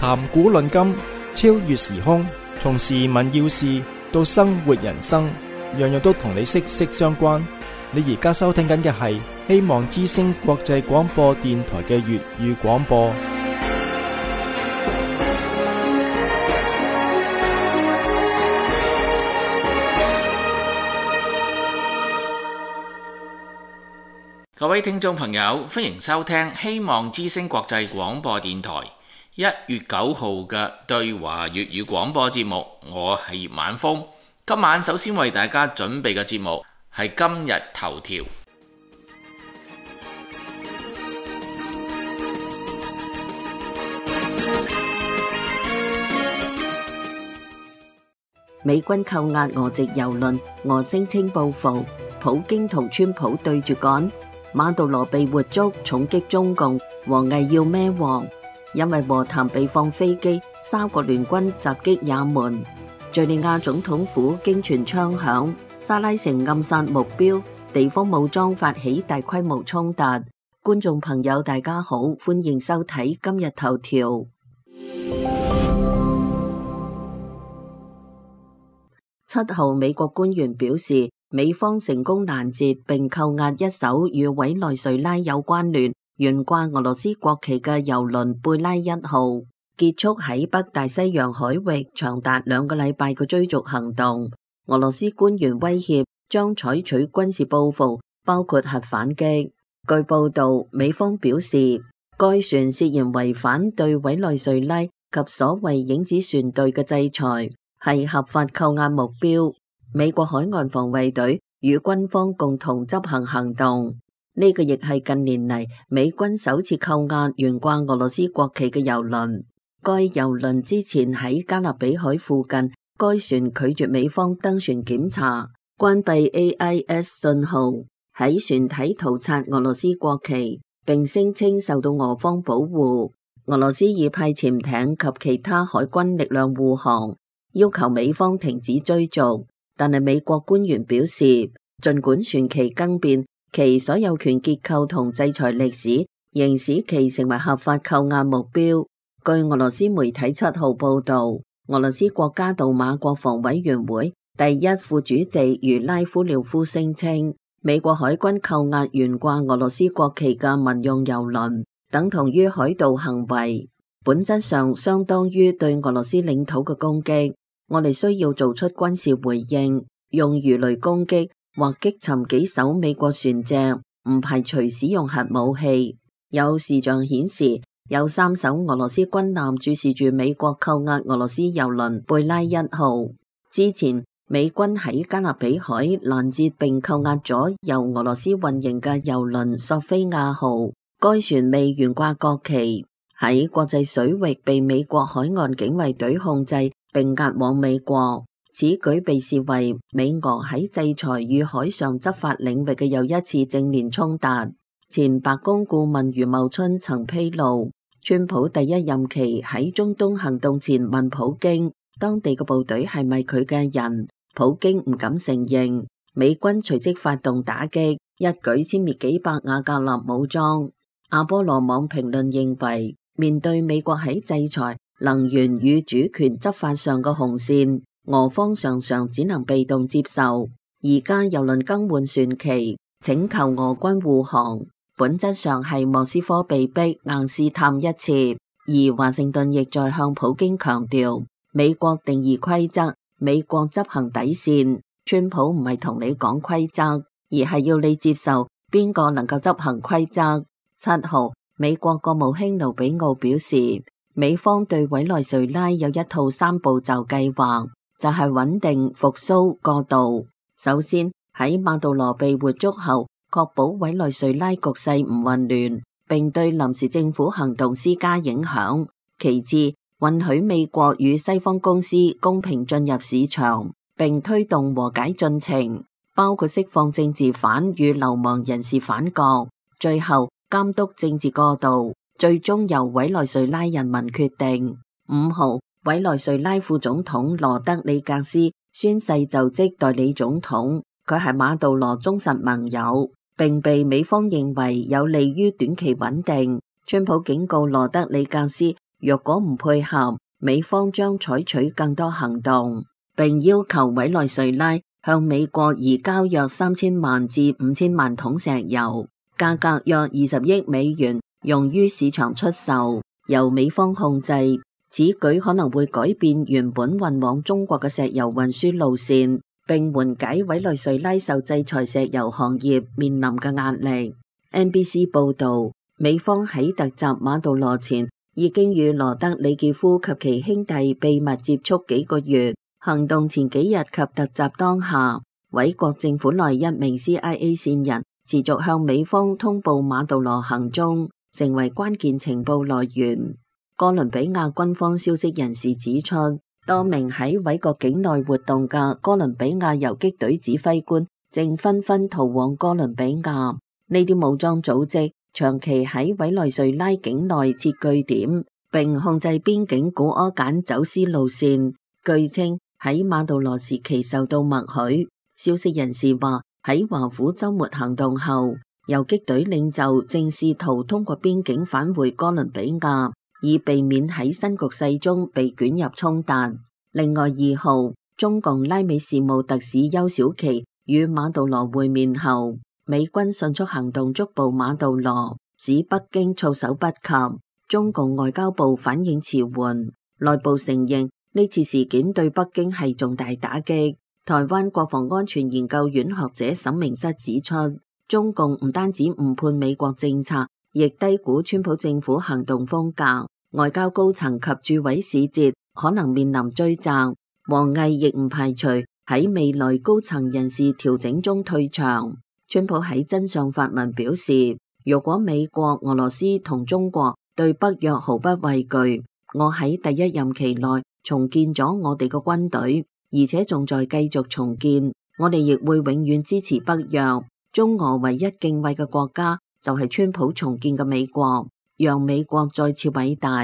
談古論今，超越時空，從時聞要事到生活人生，樣樣都同你息息相關。你而家收聽緊嘅係希望之聲國際廣播電台嘅粵語廣播。各位聽眾朋友，歡迎收聽希望之聲國際廣播電台1月9號嘅對華粵語廣播節目。我係葉晚風。今晚首先為大家準備嘅節目係今日頭條。美軍扣押俄籍郵輪，俄聲稱報復，普京同川普對住幹。馬杜羅被活捉，重擊中共，王毅要孭鑊。因為和談被放飛機，三國聯軍襲擊也門。敘利亞總統府驚傳槍響，沙拉城暗殺目標，地方武裝發起大規模衝突。觀眾朋友大家好，歡迎收睇今日頭條。7號，美國官員表示，美方成功攔截並扣押一艘與委內瑞拉有關聯、懸掛俄羅斯國旗嘅郵輪貝拉1號，結束喺北大西洋海域長達2個禮拜嘅追逐行動。俄羅斯官員威脅將採取軍事報復，包括核反擊。據報道，美方表示，該船涉嫌違反對委內瑞拉及所謂影子船隊嘅制裁，係合法扣押目標。美國海岸防衛隊與軍方共同執行行動，呢個亦係近年嚟美軍首次扣押懸掛俄羅斯國旗嘅郵輪。該郵輪之前喺加勒比海附近，該船拒絕美方登船檢查，關閉 AIS 信號，喺船體塗擦俄羅斯國旗，並聲稱受到俄方保護。俄羅斯已派潛艇及其他海軍力量護航，要求美方停止追逐。但係美國官員表示，儘管船期更變，其所有權結構同制裁歷史仍使其成為合法扣押目標。據俄羅斯媒體7號報導，俄羅斯國家杜馬國防委員會第一副主席茹拉夫廖夫聲稱，美國海軍扣押懸掛俄羅斯國旗嘅民用郵輪，等同於海盜行為，本質上相當於對俄羅斯領土嘅攻擊。我哋需要做出軍事回應，用魚雷攻擊或擊沉幾艘美國船隻，唔排除使用核武器。有視像顯示，有3艘俄羅斯軍艦注視住美國扣押俄羅斯郵輪貝拉1號。之前，美軍喺加勒比海攔截並扣押咗由俄羅斯運營嘅郵輪索菲亞號，該船未懸掛國旗，喺國際水域被美國海岸警衛隊控制並押往美國。此舉被視為美俄喺制裁與海上執法領域嘅又一次正面衝突。前白宮顧問余茂春曾披露，川普第一任期喺中東行動前問普京，當地嘅部隊係咪佢嘅人？普京唔敢承認。美軍隨即發動打擊，一舉殲滅幾百瓦格納武裝。阿波羅網評論認為，面對美國喺制裁、能源與主權執法上嘅紅線，俄方常常只能被動接受。而家郵輪更換船旗，請求俄軍護航，本質上係莫斯科被逼硬試探一次。而華盛頓亦在向普京強調，美國定義規則，美國執行底線。川普唔係同你講規則，而係要你接受邊個能夠執行規則。7號，美國國務卿盧比奧表示，美方對委內瑞拉有一套3步驟計劃，就係穩定、復甦、過渡。首先，喺馬杜羅被活捉後，確保委內瑞拉局勢唔混亂，並對臨時政府行動施加影響。其次，允許美國與西方公司公平進入市場，並推動和解進程，包括釋放政治犯與流亡人士返國。最後，監督政治過渡，最終由委內瑞拉人民決定。5號，委內瑞拉副總統羅德里格斯宣誓就職代理總統，佢係馬杜羅忠實盟友，並被美方認為有利於短期穩定。川普警告羅德里格斯若果唔配合，美方將採取更多行動，並要求委內瑞拉向美國移交約3000萬至5000萬桶石油，價格約20億美元，用於市場出售，由美方控制。此舉可能會改變原本運往中國嘅石油運輸路線，並緩解委內瑞拉受制裁石油行業面臨嘅壓力。NBC 報導，美方喺突襲馬杜羅前已經與羅德里傑夫及其兄弟秘密接觸幾個月。行動前幾日及突襲當下，委國政府內一名 CIA 線人持續向美方通報馬杜羅行蹤，成為關鍵情報來源。哥倫比亞軍方消息人士指出，多名喺委國境內活動嘅哥倫比亞游擊隊指揮官正紛紛逃往哥倫比亞。呢啲武裝組織長期喺委內瑞拉境內設據點，並控制邊境古柯鹼走私路線。據稱喺馬杜羅時期受到默許。消息人士話，喺華府週末行動後，游擊隊領袖正試圖通過邊境返回哥倫比亞，以避免喺新局勢中被捲入衝突。另外2號，中共拉美事務特使邱小琪與馬杜羅會面後，美軍迅速行動捉捕馬杜羅，使北京措手不及。中共外交部反應遲緩，內部承認呢次事件對北京係重大打擊。台灣國防安全研究院學者沈明室指出，中共唔單止誤判美國政策，亦低估川普政府行動風格，外交高層及駐委使節可能面臨追責。王毅亦唔排除喺未來高層人事調整中退場。川普喺真相發文表示，如果美國、俄羅斯同中國對北約毫不畏懼，我喺第一任期內重建咗我哋嘅軍隊，而且仲在繼續重建。我哋亦會永遠支持北約。中俄唯一敬畏嘅國家就係川普重建嘅美國，讓美國再次偉大。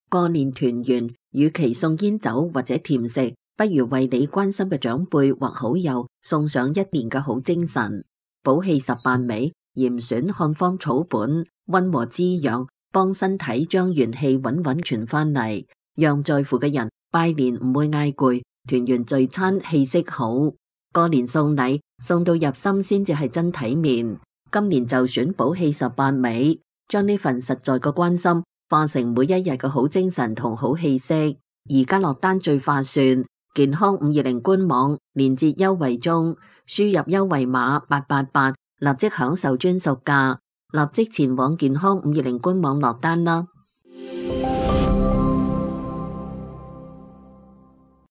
過年團圓，與其送煙酒或者甜食，不如為你關心嘅長輩或好友送上一年嘅好精神。補氣18味，嚴選漢方草本，溫和滋養，幫身體將元氣穩穩傳返嚟，讓在乎嘅人拜年唔會嗌攰，團圓聚餐氣息好。過年送禮，送到入心先至係真體面。今年就選補氣18味，將呢份實在嘅關心化成每一日嘅好精神同好氣息。而家落單最划算，健康520官網連結優惠中，輸入優惠碼888，立即享受專屬價，立即前往健康520官網落單啦。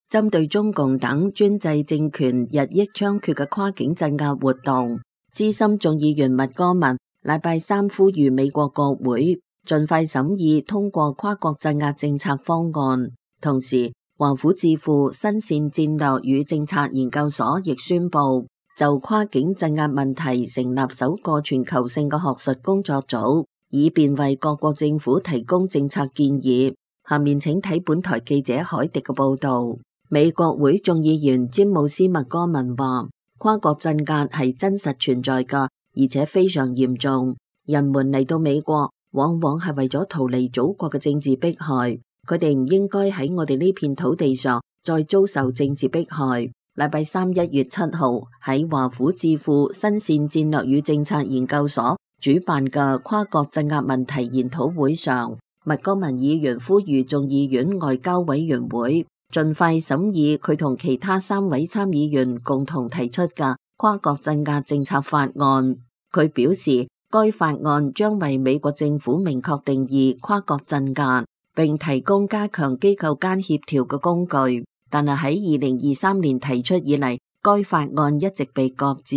針對中共等專制政權日益猖獗嘅跨境鎮壓活動，資深眾議員麥戈文禮拜三呼籲美國國會盡快審議通過跨國鎮壓政策方案。同時，華府智庫新線戰略與政策研究所亦宣布就跨境鎮壓問題成立首個全球性嘅學術工作組，以便為各國政府提供政策建議。下面請睇本台記者海迪嘅報道。美國會眾議員詹姆斯麥戈文話，跨國鎮壓係真實存在㗎，而且非常嚴重。人們嚟到美國往往係為咗逃離祖國嘅政治迫害，佢哋唔應該喺我哋呢片土地上再遭受政治迫害。禮拜三1月7號喺華府智庫新線戰略與政策研究所主辦嘅跨國鎮壓問題研討會上，麥戈文議員呼籲眾議院外交委員會盡快審議佢同其他3位參議員共同提出嘅跨國鎮壓政策法案。佢表示，該法案將為美國政府明確定義跨國鎮壓，並提供加強機構間協調嘅工具。但係喺2023年提出以嚟，該法案一直被擱置。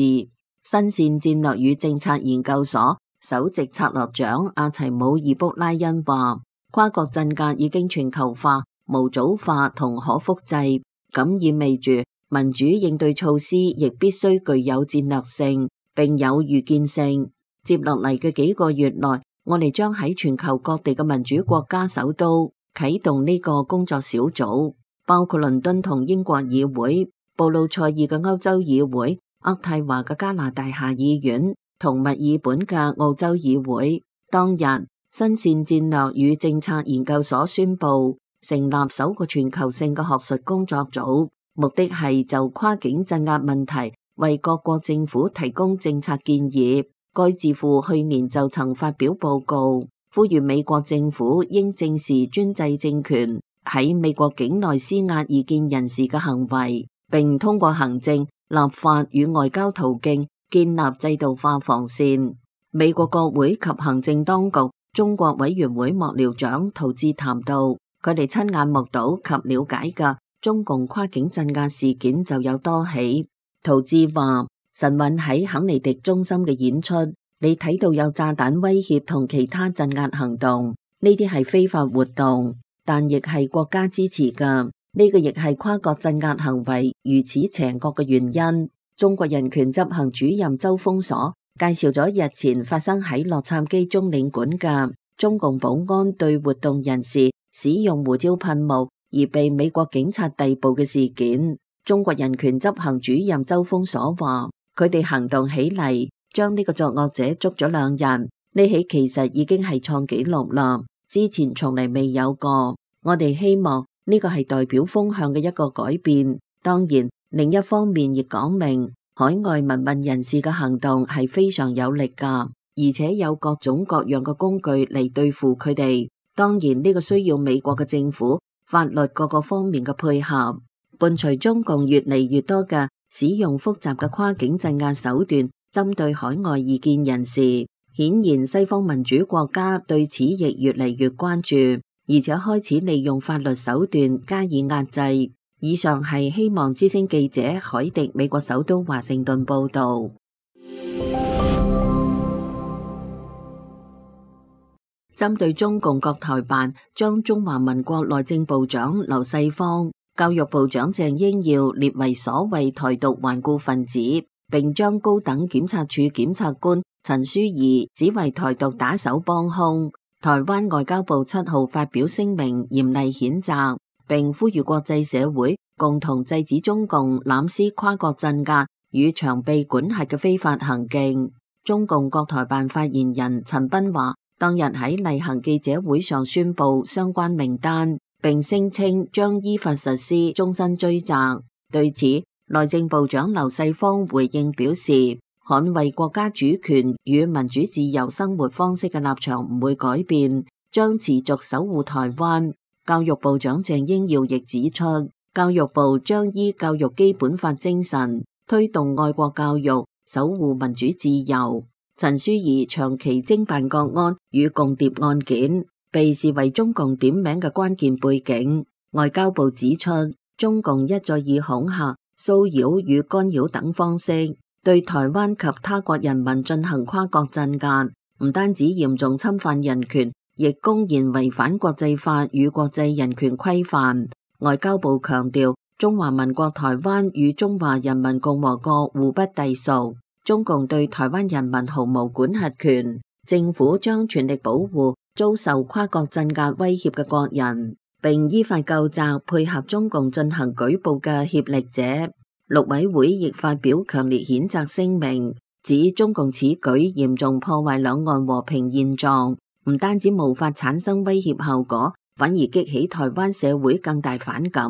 新線戰略與政策研究所首席策略長阿齊姆爾卜拉恩話，跨國鎮壓已經全球化、模組化同可複製，咁意味住民主應對措施亦必須具有戰略性並有預見性。接落嚟嘅幾個月內，我哋將喺全球各地嘅民主國家首都啟動呢個工作小組，包括倫敦同英國議會、布魯塞爾嘅歐洲議會、渥太華嘅加拿大下議院、同墨爾本嘅澳洲議會。當日，新線戰略與政策研究所宣布成立首個全球性嘅學術工作組，目的係就跨境鎮壓問題為各國政府提供政策建議。該智庫去年就曾發表報告，呼籲美國政府應正視專制政權喺美國境內施壓異見人士嘅行為，並通過行政、立法與外交途徑建立制度化防線。美國國會及行政當局中國委員會幕僚長陶志談到，佢哋親眼目睹及了解嘅中共跨境鎮壓事件就有多起。陶志話：晨運喺肯尼迪中心嘅演出，你睇到有炸彈威脅同其他鎮壓行動，呢啲係非法活動，但亦係國家支持㗎。呢個亦係跨國鎮壓行為如此邪惡嘅原因。中國人權執行主任周鋒鎖介紹咗日前發生喺洛杉磯中領館嘅中共保安對活動人士使用胡椒噴霧而被美國警察逮捕嘅事件。中國人權執行主任周鋒鎖話：佢哋行動起嚟，將呢個作惡者捉咗2日，呢起其實已經係創紀錄啦，之前從嚟未有過。我哋希望呢個係代表風向嘅一個改變。當然，另一方面亦講明海外民運人士嘅行動係非常有力㗎，而且有各種各樣嘅工具嚟對付佢哋。當然呢個需要美國嘅政府、法律各個方面嘅配合。伴隨中共越嚟越多嘅使用複雜嘅跨境鎮壓手段針對海外異見人士，顯然西方民主國家對此亦越嚟越關注，而且開始利用法律手段加以壓制。以上係希望之聲記者海迪美國首都華盛頓報道。針對中共國台辦將中華民國內政部長劉世芳、教育部長鄭英耀列為所謂台獨頑固分子，並將高等檢察署檢察官陳書儀指為台獨打手幫兇，台灣外交部7號發表聲明嚴厲譴責，並呼籲國際社會共同制止中共濫施跨國鎮壓與長臂管轄嘅非法行徑。中共國台辦發言人陳斌話，當日喺例行記者會上宣布相關名單，並聲稱將依法實施終身追責。對此，內政部長劉世芳回應表示，捍衛國家主權與民主自由生活方式嘅立場唔會改變，將持續守護台灣。教育部長鄭英耀亦指出，教育部將依教育基本法精神，推動愛國教育，守護民主自由。陳書儀長期偵辦國安與共諜案件，被視為中共點名嘅關鍵背景。外交部指出，中共一再以恐嚇、騷擾與干擾等方式，對台灣及他國人民進行跨國鎮壓，唔單止嚴重侵犯人權，亦公然違反國際法與國際人權規範。外交部強調，中華民國台灣與中華人民共和國互不隸屬，中共對台灣人民毫無管轄權，政府將全力保護遭受跨國鎮壓威脅嘅國人，並依法究責配合中共進行舉報嘅協力者。陸委會亦發表強烈譴責聲明，指中共此舉嚴重破壞兩岸和平現狀，唔單止無法產生威脅效果，反而激起台灣社會更大反感。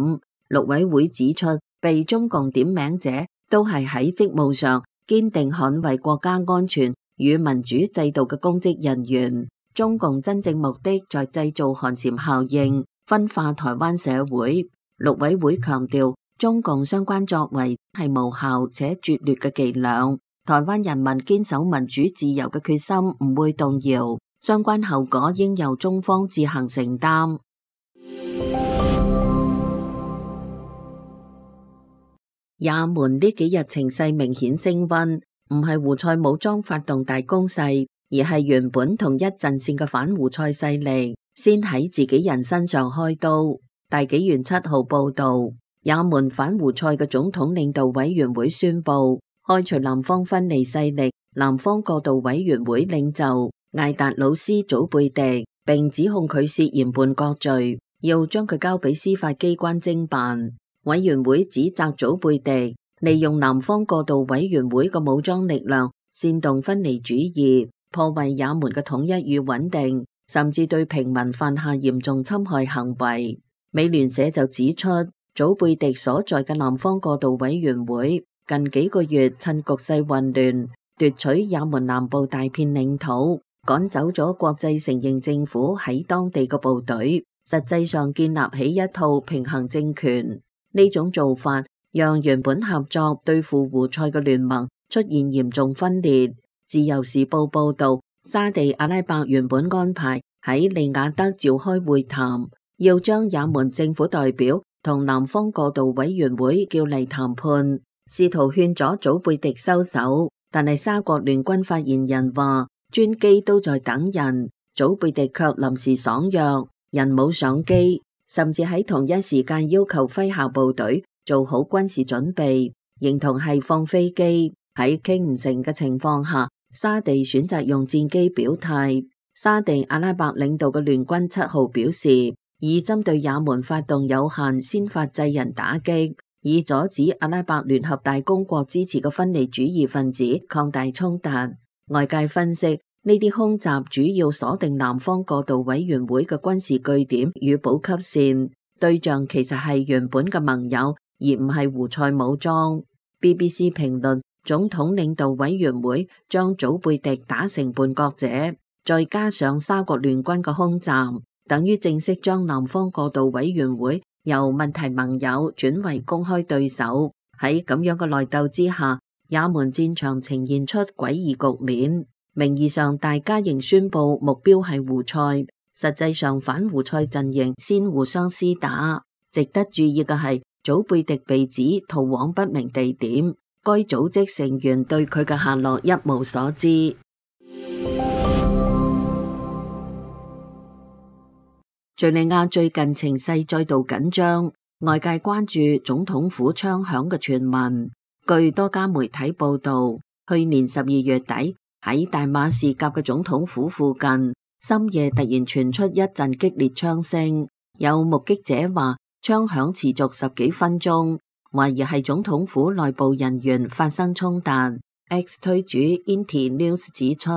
陸委會指出，被中共點名者都係喺職務上堅定捍衛國家安全與民主制度嘅公職人員。中共真正目的在製造寒蟬效應，分化台灣社會。陸委會強調，中共相關作為係無效且拙劣嘅伎倆，台灣人民堅守民主自由嘅決心唔會動搖，相關後果應由中方自行承擔。也門呢幾日情勢明顯升溫，唔係胡塞武裝發動大攻勢，而係原本同一陣線嘅反胡塞勢力先喺自己人身上開刀。大紀元7號報道，也門反胡塞嘅總統領導委員會宣布開除南方分離勢力南方過渡委員會領袖艾達魯斯祖貝迪，並指控佢涉嫌叛國罪，要將佢交俾司法機關偵辦。委員會指責祖貝迪利用南方過渡委員會嘅武裝力量煽動分離主義，破壞也門嘅統一與穩定，甚至對平民犯下嚴重侵害行為。美聯社就指出，祖貝迪所在嘅南方過渡委員會近幾個月趁局勢混亂，奪取也門南部大片領土，趕走咗國際承認政府喺當地嘅部隊，實際上建立起一套平衡政權。呢種做法讓原本合作對付胡塞嘅聯盟出現嚴重分裂。自由時報報道，沙地阿拉伯原本安排喺利雅得召開會談，要將也門政府代表同南方過渡委員會叫嚟談判，試圖勸阻祖貝迪收手。但係沙國聯軍發言人話，專機都在等人，祖貝迪卻臨時爽約，人冇上機，甚至喺同一時間要求麾下部隊做好軍事準備，形同係放飛機。喺傾唔成嘅情況下，沙地選擇用戰機表態。沙地阿拉伯領導嘅聯軍7號表示，已針對也門發動有限先發制人打擊，以阻止阿拉伯聯合大公國支持嘅分離主義分子擴大衝突。外界分析，呢啲空襲主要鎖定南方過渡委員會嘅軍事據點與補給線，對象其實係原本嘅盟友，而唔係胡塞武裝。BBC 評論，總統領導委員會將祖貝迪打成叛國者，再加上沙國聯軍嘅空襲，等於正式將南方過渡委員會由問題盟友轉為公開對手。喺咁樣嘅內鬥之下，也門戰場呈現出詭異局面。名義上大家仍宣布目標係胡塞，實際上反胡塞陣營先互相廝打。值得注意嘅係，祖貝迪被指逃往不明地點，該組織成員對佢嘅下落一無所知。敘利亞最近情勢再度緊張，外界關注總統府槍響嘅傳聞。據多家媒體報道，去年12月底喺大馬士革嘅總統府附近，深夜突然傳出一陣激烈槍聲。有目擊者話，槍響持續10幾分鐘，懷疑係總統府內部人員發生衝突。X 推主 Inti News 指出，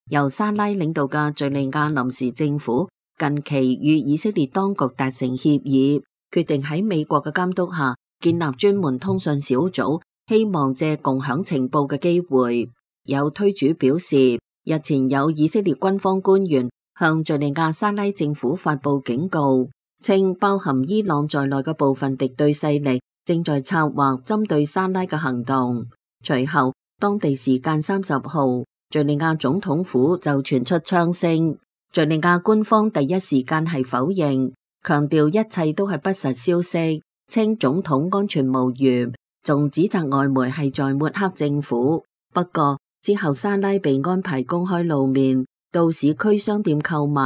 由沙拉領導嘅敘利亞臨時政府近期與以色列當局達成協議，決定喺美國嘅監督下建立專門通訊小組，希望借共享情報嘅機會。有推主表示，日前有以色列軍方官員向敘利亞沙拉政府發佈警告，稱包含伊朗在內嘅部分敵對勢力正在策劃針對沙拉嘅行動。隨後，當地時間30號，敘利亞總統府就傳出槍聲。敘利亞官方第一時間係否認，強調一切都係不實消息，稱總統安全無虞，仲指責外媒係在抹黑政府。不過之後沙拉被安排公開露面，到市區商店購物，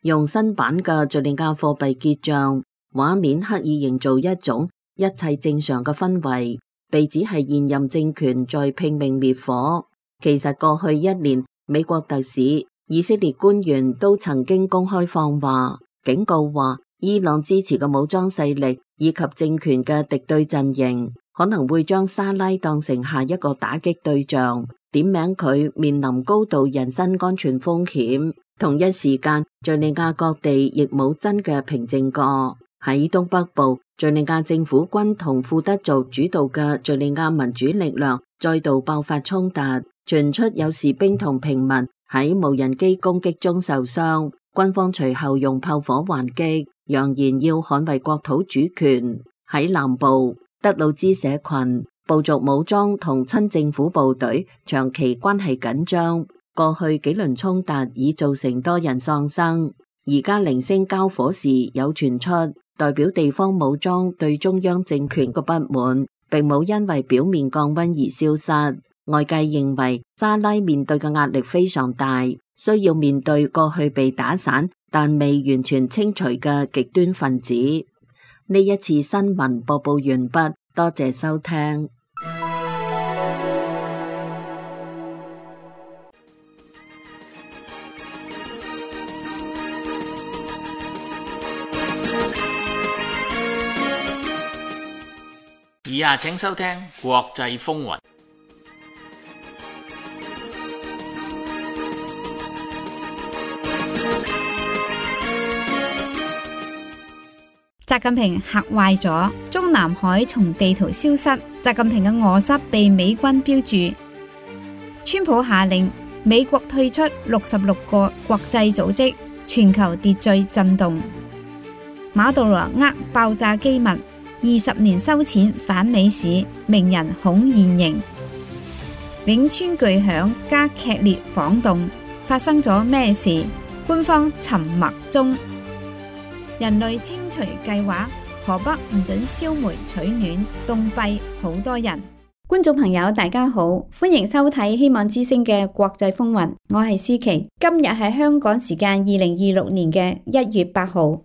用新版嘅敘利亞貨幣結賬，畫面刻意營造一種一切正常嘅氛圍，被指係現任政權在拼命滅火。其實過去1年，美國特使、以色列官員都曾經公開放話，警告話伊朗支持嘅武裝勢力以及政權嘅敵對陣營可能會將沙拉當成下一個打擊對象，點名佢面臨高度人身安全風險。同一時間，敘利亞各地亦冇真嘅平靜過。喺東北部，敘利亞政府軍同庫德族主導嘅敘利亞民主力量再度爆發衝突，傳出有士兵同平民喺無人機攻擊中受傷，軍方隨後用炮火還擊，揚言要捍衛國土主權。喺南部，德魯茲社群、部族武裝同親政府部隊長期關係緊張，過去幾輪衝突已造成多人喪生。而家零星交火時有傳出，代表地方武裝對中央政權嘅不滿，並冇因為表面降溫而消失。外界認為沙拉面對嘅壓力非常大，需要面對過去被打散但未完全清除嘅極端分子。呢一次新聞播報完畢，多謝收聽。以下請收聽國際風雲。習近平嚇壞咗，中南海從地圖消失，習近平嘅臥室被美軍標注。川普下令美國退出66個國際組織，全球秩序震動。馬杜羅爆炸機密，20年收錢反美市，名人恐現形。汶川巨響加劇烈晃動，發生咗咩事？官方沉默中。人類清除計劃，河北唔准燒煤取暖，凍斃好多人。觀眾朋友大家好，歡迎收睇希望之聲嘅國際風雲，我係思琪。今日係香港時間2026年嘅1月8號。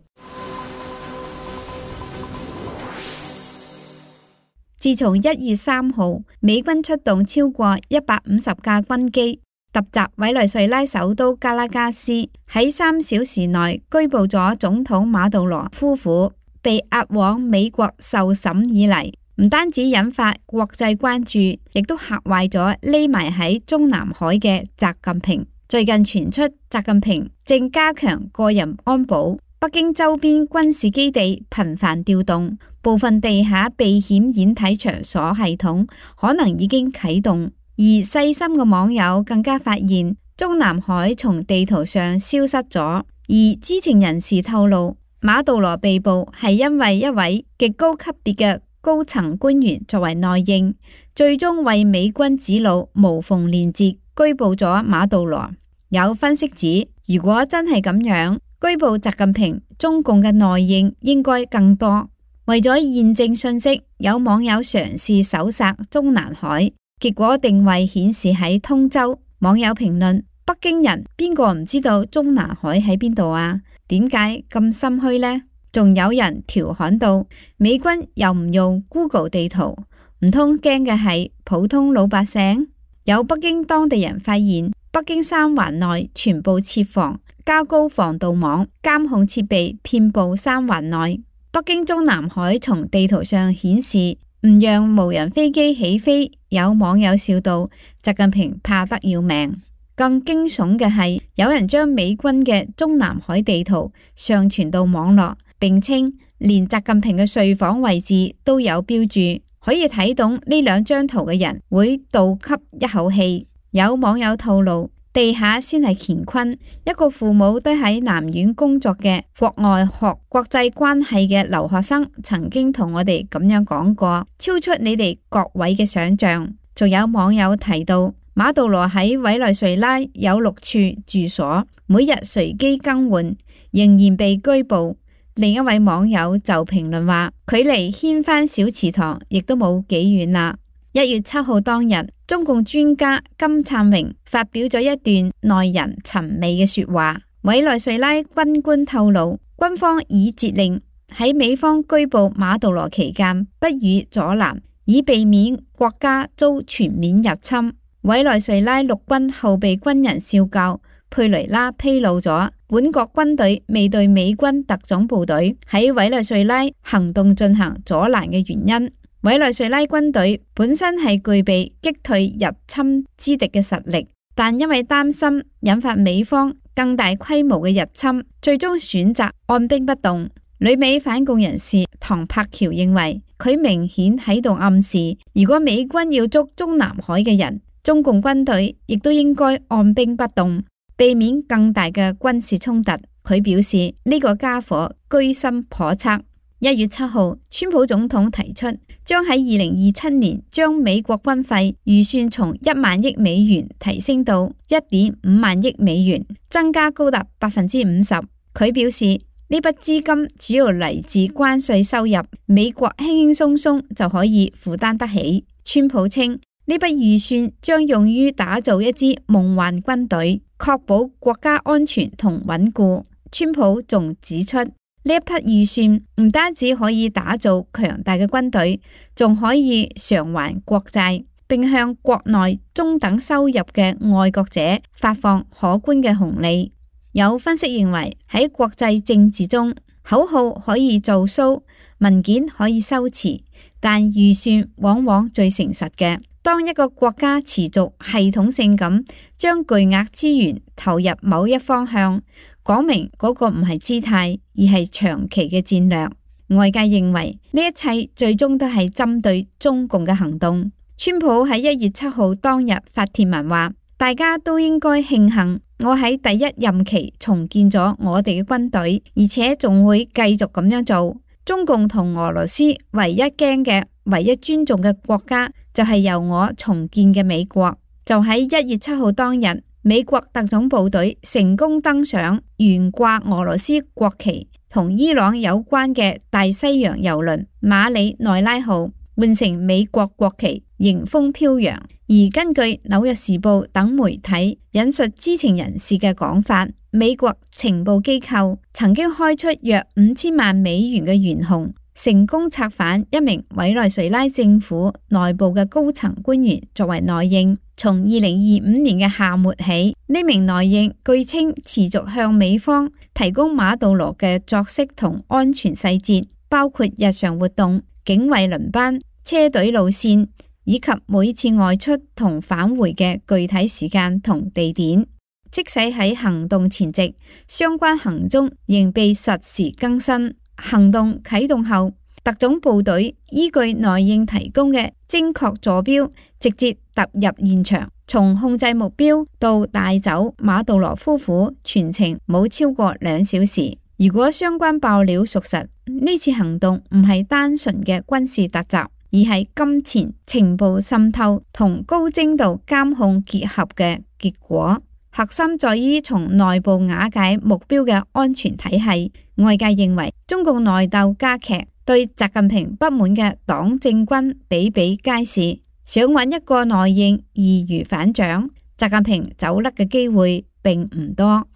自從1月3號，美軍出動超過150架軍機突襲委內瑞拉首都加拉加斯，喺3小時內拘捕咗總統馬杜羅夫婦，被押往美國受審以嚟，唔單止引發國際關注，亦都嚇壞咗匿埋喺中南海嘅習近平。最近傳出習近平正加強個人安保，北京周邊軍事基地頻繁調動，部分地下避險演體場所系統可能已經啟動。而細心嘅網友更加發現，中南海從地圖上消失咗。而知情人士透露，馬杜羅被捕係因為一位極高級別嘅高層官員作為內應，最終為美軍指路無縫連接，拘捕咗馬杜羅。有分析指，如果真係咁樣，拘捕習近平，中共嘅內應應該更多。為咗驗證信息，有網友嘗試搜索中南海。結果定位顯示喺通州，網友評論：北京人邊個唔知道中南海喺邊度啊？點解咁心虛呢？仲有人調侃到：美軍又唔用 Google 地圖，唔通驚嘅係普通老百姓？有北京當地人發現，北京三環內全部設防，加高防盜網，監控設備遍佈三環內。北京中南海從地圖上顯示唔讓無人飛機起飛，有網友笑道：習近平怕得要命。更驚悚嘅係，有人將美軍嘅中南海地圖上傳到網絡，並稱連習近平嘅睡房位置都有標注，可以睇懂呢兩張圖嘅人會倒吸一口氣。有網友透露，地下先係乾坤。一個父母都喺南院工作嘅國外學國際關係嘅留學生曾經同我哋咁樣講過，超出你哋各位嘅想象。仲有網友提到，馬杜羅喺委內瑞拉有6處住所，每日隨機更換，仍然被拘捕。另一位網友就評論話，距離掀翻小祠堂亦都冇幾遠啦。1月7號當日，中共專家金燦榮發表咗一段耐人尋味嘅說話。委內瑞拉軍官透露，軍方已節令喺美方拘捕馬杜羅期間不予阻攔，以避免國家遭全面入侵。委內瑞拉陸軍後備軍人少校佩雷拉披露咗，本國軍隊未對美軍特種部隊喺委內瑞拉行動進行阻攔嘅原因。委內瑞拉軍隊本身係具備擊退入侵之敵嘅實力，但因為擔心引發美方更大規模嘅入侵，最終選擇按兵不動。旅美反共人士唐柏橋認為，佢明顯喺度暗示，如果美軍要捉中南海嘅人，中共軍隊亦都應該按兵不動，避免更大嘅軍事衝突。佢表示呢個家伙居心叵測。1月7號，川普總統提出將喺2027年將美國軍費預算從1萬億美元提升到1.5萬億美元，增加高達50%。佢表示呢筆資金主要嚟自關稅收入，美國輕輕鬆鬆就可以負擔得起。川普稱呢筆預算將用於打造一支夢幻軍隊，確保國家安全同穩固。川普仲指出，呢一筆預算唔單止可以打造強大嘅軍隊，仲可以償還國債，並向國內中等收入嘅愛國者發放可觀嘅紅利。有分析認為，喺國際政治中，口號可以做 show， 文件可以修辭，但預算往往最誠實嘅。當一個國家持續系統性咁將巨額資源投入某一方向，講明嗰個唔係姿態，而係長期嘅戰略。外界認為呢一切最終都係針對中共嘅行動。川普喺1月7號當日發帖文話，大家都應該慶幸我喺第一任期重建咗我哋嘅軍隊，而且仲會繼續咁樣做。中共同俄羅斯唯一驚嘅、唯一尊重嘅國家就係由我重建嘅美國。就喺1月7號當日，美國特種部隊成功登上懸掛俄羅斯國旗同伊朗有關嘅大西洋郵輪馬里內拉號，換成美國國旗，迎風飄揚。而根據紐約時報等媒體引述知情人士嘅講法，美國情報機構曾經開出約5000萬美元嘅懸紅，成功策反一名委內瑞拉政府內部嘅高層官員作為內應。從2025年嘅夏末起，呢名內應據稱持續向美方提供馬杜羅嘅作息同安全細節，包括日常活動、警衛輪班、車隊路線，以及每次外出同返回嘅具體時間同地點。即使喺行動前夕，相關行蹤仍被實時更新。行動啟動後，特種部隊依據內應提供嘅精確坐標，直接踏入現場，從控制目標到帶走馬杜羅夫婦，全程冇超過2小時。如果相關爆料屬實，呢次行動唔係單純嘅軍事突襲，而係金錢、情報滲透同高精度監控結合嘅結果。核心在於從內部瓦解目標嘅安全體系。外界認為中共內鬥加劇，對習近平不滿嘅黨政軍比比皆是，想揾一個內應易如反掌，習近平走甩嘅機會並唔多。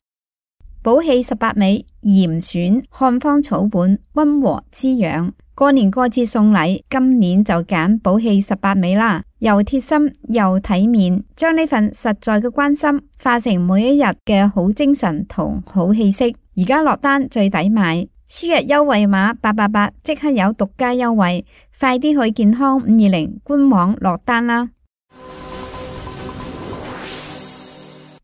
寶氣18味，嚴選漢方草本，溫和滋養。過年過節送禮，今年就揀寶氣18味啦，又貼心又體面，將呢份實在嘅關心化成每一日嘅好精神同好氣息。而家落單最抵買，輸入優惠碼888即刻有獨家優惠，快啲去健康520官網落單啦。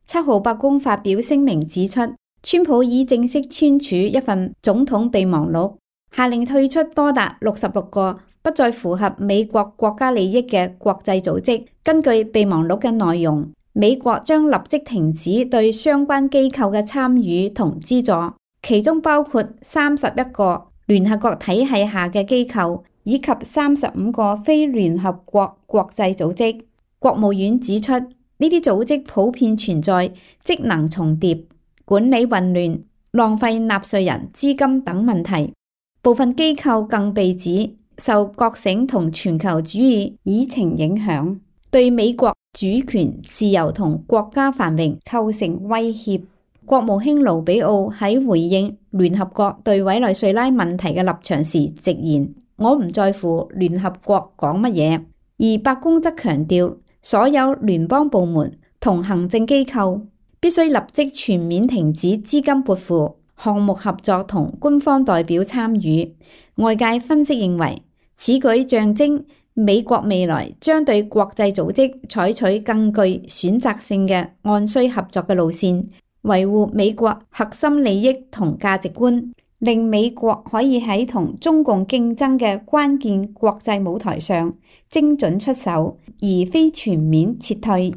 7號白宮發表聲明指出，川普已正式簽署一份總統備忘錄，下令退出多達66個不再符合美國國家利益嘅國際組織。根據備忘錄嘅內容，美國將立即停止對相關機構嘅參與同資助，其中包括31個聯合國體系下嘅機構，以及35個非聯合國國際組織。國務院指出，呢啲組織普遍存在職能重疊、管理混亂、浪費納稅人資金等問題。部分機構更被指受覺醒同全球主義議程影響，對美國主權、自由同國家繁榮構成威脅。國務卿盧比奧喺回應聯合國對委內瑞拉問題嘅立場時直言：我唔在乎聯合國講乜嘢。而白宮則強調，所有聯邦部門同行政機構必須立即全面停止資金撥付、項目合作同官方代表參與。外界分析認為，此舉象徵美國未來將對國際組織採取更具選擇性嘅按需合作嘅路線，維護美國核心利益同價值觀，令美國可以喺同中共競爭嘅關鍵國際舞台上精準出手，而非全面撤退。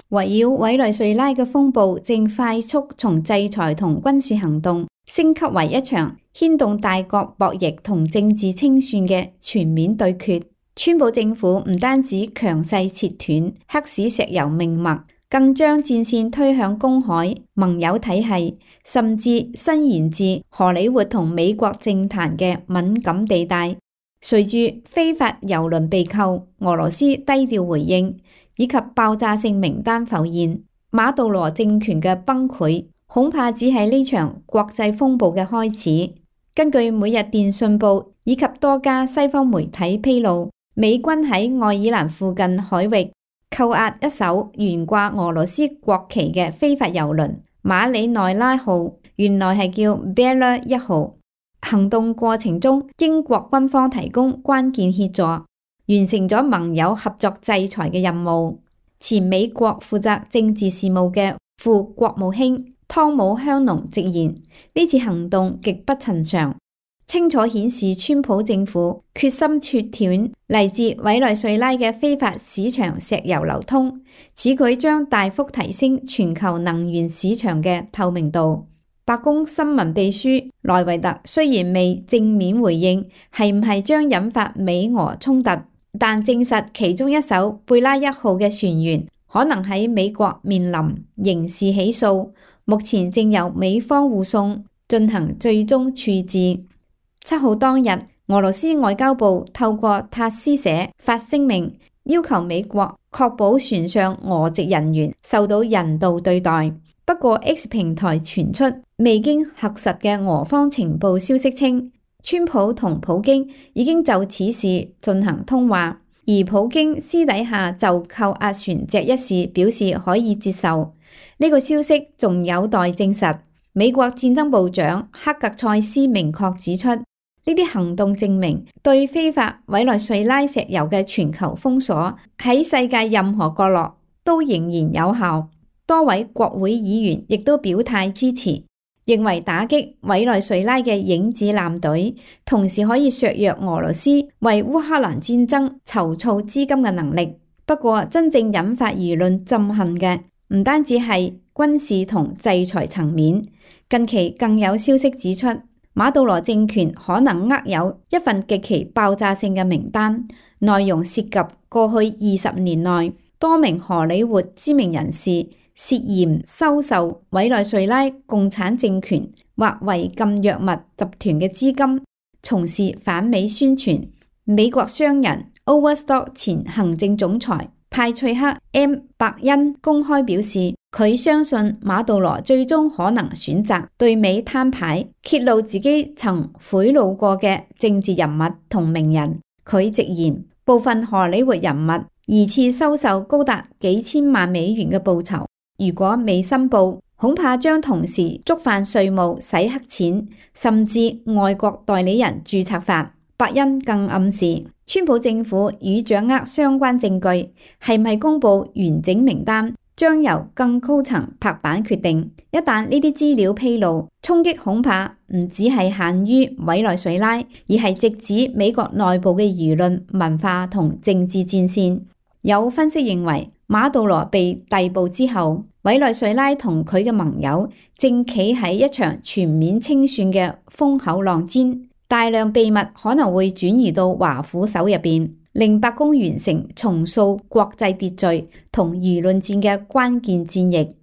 圍繞委內瑞拉嘅風暴正快速從制裁同軍事行動升級為一場牽動大國博弈同政治清算嘅全面對決。川普政府唔單止強勢切斷黑市石油命脈，更將戰線推向公海、盟友體系，甚至伸延至荷里活同美國政壇嘅敏感地帶。隨住非法郵輪被扣，俄羅斯低調回應，以及爆炸性名單浮現，馬杜羅政權嘅崩潰恐怕只係呢場國際風暴嘅開始。根據每日電訊報以及多家西方媒體披露，美軍喺愛爾蘭附近海域扣押一艘懸掛俄羅斯國旗嘅非法郵輪馬里內拉號，原來係叫 Bella 1號。行動過程中，英國軍方提供關鍵協助，完成咗盟友合作制裁嘅任務。前美國負責政治事務嘅副國務卿湯姆香農直言，呢次行動極不尋常，清楚顯示川普政府決心切斷嚟自委內瑞拉嘅非法市場石油流通，此舉將大幅提升全球能源市場嘅透明度。白宮新聞秘書萊維特雖然未正面回應係唔係將引發美俄衝突，但證實其中一艘貝拉1號嘅船員可能喺美國面臨刑事起訴，目前正由美方護送進行最終處置。7號當日，俄羅斯外交部透過塔斯社發聲明，要求美國確保船上俄籍人員受到人道對待。不過 X 平台傳出未經核實嘅俄方情報消息稱，川普同普京已經就此事進行通話，而普京私底下就扣押船隻一事表示可以接受。呢個消息仲有待證實。美國戰爭部長克格塞斯明確指出，呢啲行動證明對非法委內瑞拉石油嘅全球封鎖喺世界任何角落都仍然有效。多位國會議員亦都表態支持，認為打擊委內瑞拉嘅影子艦隊，同時可以削弱俄羅斯為烏克蘭戰爭籌措資金嘅能力。不過，真正引發輿論憎恨嘅唔單止係軍事同制裁層面，近期更有消息指出，馬杜羅政權可能握有一份極其爆炸性嘅名單，內容涉及過去20年內多名荷里活知名人士涉嫌收受委內瑞拉共產政權或違禁藥物集團嘅資金，從事反美宣傳。美國商人 Overstock 前行政總裁派翠克 M 伯恩公開表示，佢相信馬杜羅最終可能選擇對美攤牌，揭露自己曾賄賂過嘅政治人物同名人。佢直言，部分荷里活人物疑似收受高達幾千萬美元嘅報酬，如果未申報，恐怕將同時觸犯稅務、洗黑錢，甚至外國代理人註冊法。伯恩更暗示，川普政府與掌握相關證據，係唔係公布完整名單，將由更高層拍板決定。一旦呢啲資料披露，衝擊恐怕唔只係限於委內瑞拉，而係直指美國內部嘅輿論、文化同政治戰線。有分析認為，馬杜羅被逮捕之後，委內瑞拉同佢嘅盟友正企喺一場全面清算嘅風口浪尖，大量秘密可能會轉移到華府手入邊，令白宮完成重塑國際秩序同輿論戰嘅關鍵戰役。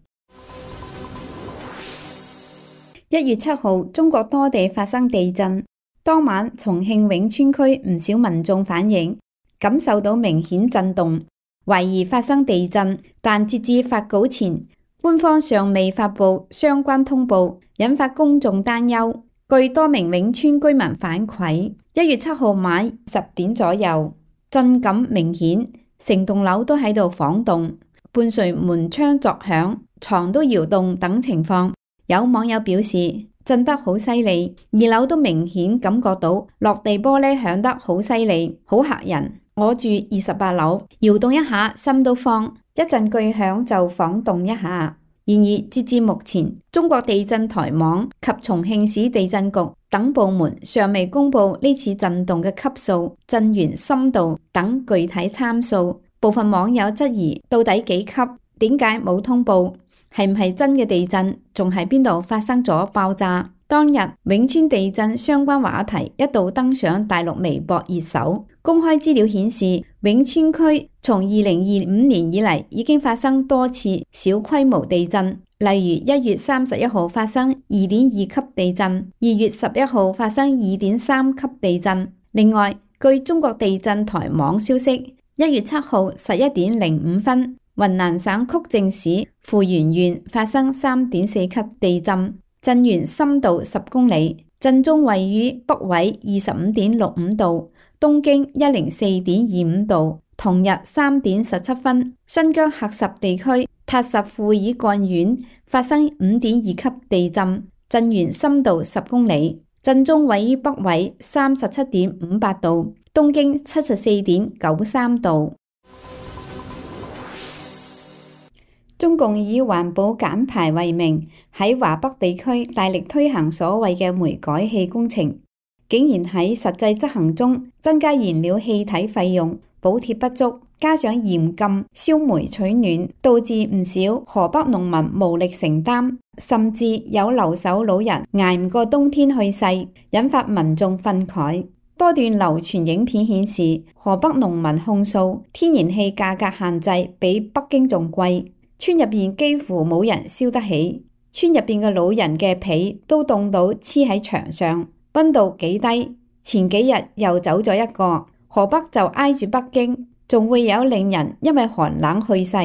1月7號，中國多地發生地震，當晚重慶永川區唔少民眾反映感受到明顯震動，懷疑發生地震，但截至發稿前，官方尚未發布相關通報，引發公眾擔憂。據多名永川居民反饋，1月7號晚10點左右，震感明顯，成棟樓都喺度晃動，伴隨門窗作響，床都搖動等情況。有網友表示，震得好犀利，2樓都明顯感覺到落地玻璃響得好犀利，好嚇人。我住28樓，搖動一下心都慌，一陣巨響就晃動一下。然而截至目前，中國地震台網及重慶市地震局等部門尚未公布呢次震動嘅級數、震源深度等具體參數。部分網友質疑到底幾級？點解冇通報？係唔係真嘅地震？仲喺邊度發生咗爆炸？當日永川地震相關話題一度登上大陸微博熱搜。公開資料顯示，永川區從2025年以嚟已經發生多次小規模地震，例如1月31號發生2.2級地震，2月11號發生2.3級地震。另外，據中國地震台網消息，1月7號11點05分，雲南省曲靖市富源縣發生3.4級地震，震源深度10公里，震中位於北緯25.65度。東經104.25度。同日3點17分，新疆喀什地區塔什庫爾幹縣發生5.2級地震，震源深度10公里，震中位於北緯37.58度，東經74.93度。中共以環保減排為名，喺華北地區大力推行所謂嘅煤改氣工程，竟然喺實際執行中增加燃料氣體費用，補貼不足，加上嚴禁燒煤取暖，導致唔少河北農民無力承擔，甚至有留守老人捱唔過冬天去世，引發民眾憤慨。多段流傳影片顯示，河北農民控訴天然氣價格限制比北京仲貴，村入邊幾乎冇人燒得起，村入邊嘅老人嘅被都凍到黐喺牆上，溫度幾低。前幾日又走咗一個，河北就挨住北京，仲會有令人因為寒冷去世。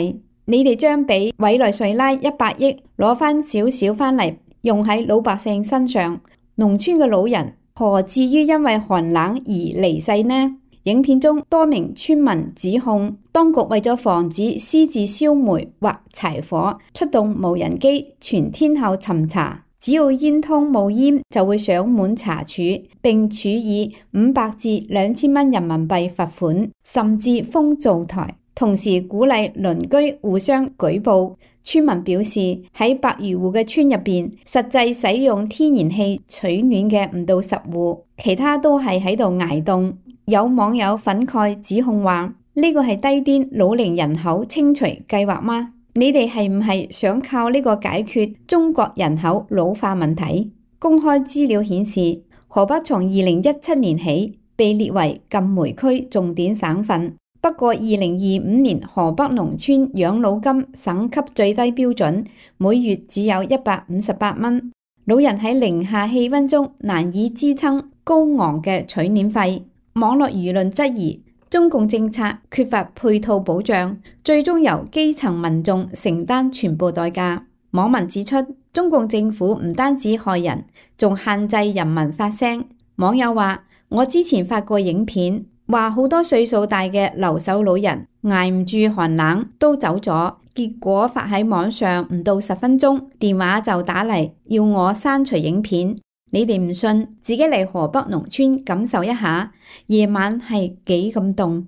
你哋將俾委內瑞拉100億攞翻少少翻嚟用喺老百姓身上，農村嘅老人何至於因為寒冷而離世呢？影片中多名村民指控當局為咗防止私自燒煤或柴火，出動無人機全天候巡查，只要煙通冒煙就會上門查處，並處以500至2000蚊人民幣罰款，甚至封灶台，同時鼓勵鄰居互相舉報。村民表示喺100餘戶嘅村入邊，實際使用天然氣取暖嘅唔到10戶，其他都係喺度捱凍。有網友憤慨指控話：呢個係低端老齡人口清除計劃嗎？你哋係唔係想靠呢個解決中國人口老化問題？公開資料顯示，河北從2017年起被列為禁煤區重點省份。不過2025年河北農村養老金省級最低標準每月只有158蚊，老人喺零下氣溫中難以支撐高昂嘅取暖費。網絡輿論質疑中共政策缺乏配套保障，最終由基層民眾承擔全部代價。網民指出，中共政府唔單止害人，仲限制人民發聲。網友話：我之前發過影片，話好多歲數大嘅留守老人捱唔住寒冷都走咗，結果發喺網上唔到10分鐘，電話就打嚟要我刪除影片。你哋唔信，自己嚟河北農村感受一下，夜晚係幾咁凍。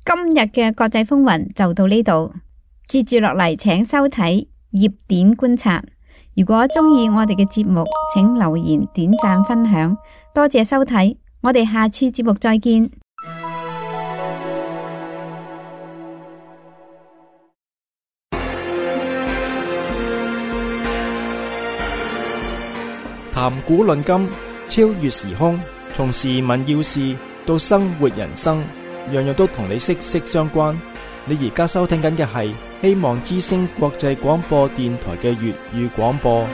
今日嘅國際風雲就到呢度，接住落嚟請收睇熱點觀察。如果中意我哋嘅節目，請留言、點讚、分享，多謝收睇，我哋下次節目再見。談古論今，超越時空，從時聞要事到生活人生，樣樣都同你息息相關。你而家收聽緊嘅係希望之聲國際廣播電台嘅粵語廣播。